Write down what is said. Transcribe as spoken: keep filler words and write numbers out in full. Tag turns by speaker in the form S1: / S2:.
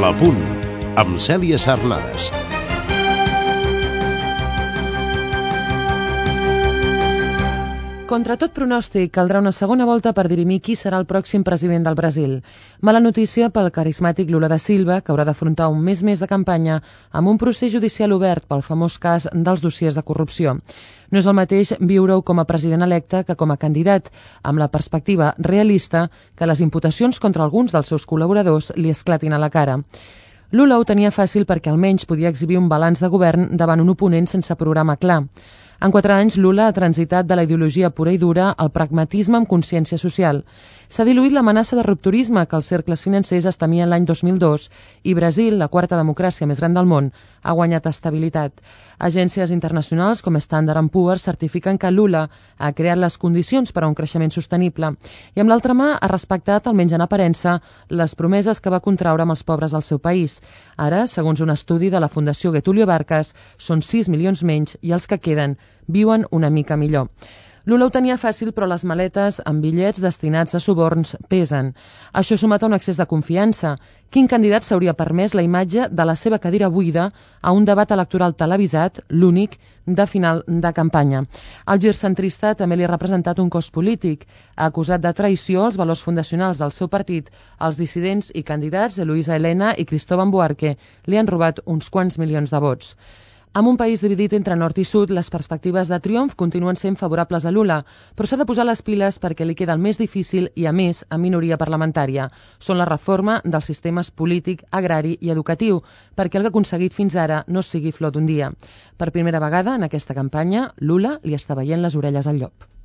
S1: La Punt, amb Cèlia Sarnades.
S2: Contra tot pronòstic, caldrà una segona volta per dirimir qui serà el pròxim president del Brasil. Mala notícia pel carismàtic Lula da Silva, que haurà d'afrontar un mes més de campanya amb un procés judicial obert pel famós cas dels dossiers de corrupció. No és el mateix viure-ho com a president electe que com a candidat, amb la perspectiva realista que les imputacions contra alguns dels seus col·laboradors li esclatin a la cara. Lula ho tenia fàcil perquè almenys podia exhibir un balanç de govern davant un oponent sense programa clar. En quatre anys, Lula ha transitat de la ideologia pura i dura al pragmatisme amb consciència social. S'ha diluït l'amenaça de rupturisme que els cercles financers es temien l'any dos mil dos i Brasil, la quarta democràcia més gran del món, ha guanyat estabilitat. Agències internacionals com Standard and Poor's certifiquen que Lula ha creat les condicions per a un creixement sostenible i amb l'altra mà ha respectat, almenys en aparença, les promeses que va contraure amb els pobres del seu país. Ara, segons un estudi de la Fundació Getúlio Vargas, són sis milions menys i els que queden viuen una mica millor. Lula ho tenia fàcil, però les maletes amb bitllets destinats a suborns pesen. Això sumat a un excés de confiança. Quin candidat s'hauria permès la imatge de la seva cadira buida a un debat electoral televisat, l'únic, de final de campanya? El gir centrista també li ha representat un cost polític. Ha acusat de traïció els valors fundacionals del seu partit. Els dissidents i candidats, Luisa Helena i Cristóbal Buarque, li han robat uns quants milions de vots. En un país dividit entre nord i sud, les perspectives de triomf continuen sent favorables a Lula, però s'ha de posar les piles perquè li queda el més difícil i, a més, en minoria parlamentària. Són la reforma dels sistemes polític, agrari i educatiu, perquè el que ha aconseguit fins ara no sigui flor d'un dia. Per primera vegada en aquesta campanya, Lula li està veient les orelles al llop.